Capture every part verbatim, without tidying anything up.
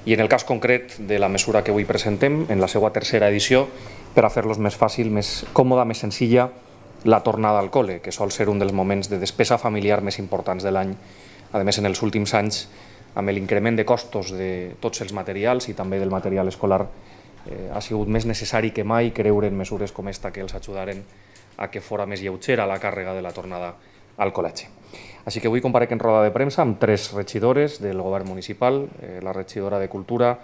I en el cas concret de la mesura que avui presentem, en la seva tercera edició, per a fer-los més fàcil, més còmoda, més senzilla, la tornada al col·le, que sol ser un dels moments de despesa familiar més importants de l'any. A més, en els últims anys, amb l'increment de costos de tots els materials i també del material escolar, eh, ha sigut més necessari que mai creure en mesures com esta que els ajudaren a que fora més lleugera la càrrega de la tornada al col·legi. Així que avui comparec en roda de premsa amb tres regidores del govern municipal, eh, la regidora de Cultura,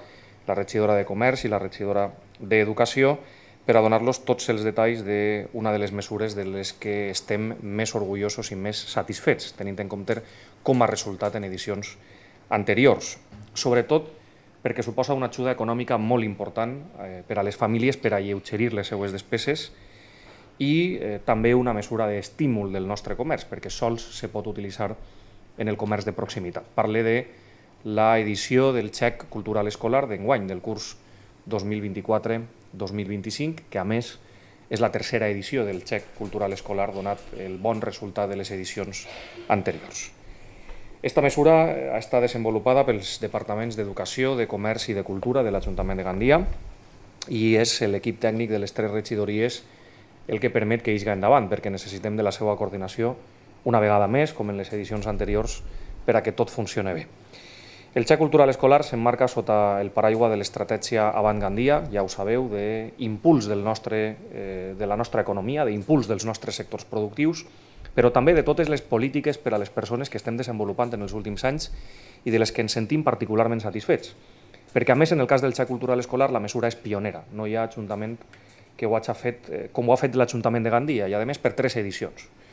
la regidora de Comerç i la regidora d'Educació, per a donar-los tots els detalls d'una de les mesures de les que estem més orgullosos i més satisfets, tenint en compte com ha resultat en edicions anteriors. Sobretot perquè suposa una ajuda econòmica molt important eh, per a les famílies per a alleugerir les seues despeses i eh, també una mesura d'estímul del nostre comerç, perquè sols se pot utilitzar en el comerç de proximitat. Parle de l'edició del xec cultural escolar d'enguany, del curs dos mil vint-i-quatre dos mil vint-i-cinc, que a més és la tercera edició del xec cultural escolar donat el bon resultat de les edicions anteriors. Esta mesura ha estat desenvolupada pels departaments d'Educació, de Comerç i de Cultura de l'Ajuntament de Gandia i és l'equip tècnic de les tres regidories el que permet que isga endavant, perquè necessitem de la seva coordinació una vegada més, com en les edicions anteriors, per a que tot funcioni bé. El xec cultural escolar s'emmarca sota el paraigua de l'estratègia Avant Gandia, ja ho sabeu, d'impuls del nostre, eh, de la nostra economia, d'impuls dels nostres sectors productius, però també de totes les polítiques per a les persones que estem desenvolupant en els últims anys i de les que ens sentim particularment satisfets. Perquè, a més, en el cas del xec cultural escolar, la mesura és pionera. No hi ha ajuntament que ho hagi fet com ho ha fet l'Ajuntament de Gandia i, a més, per tres edicions.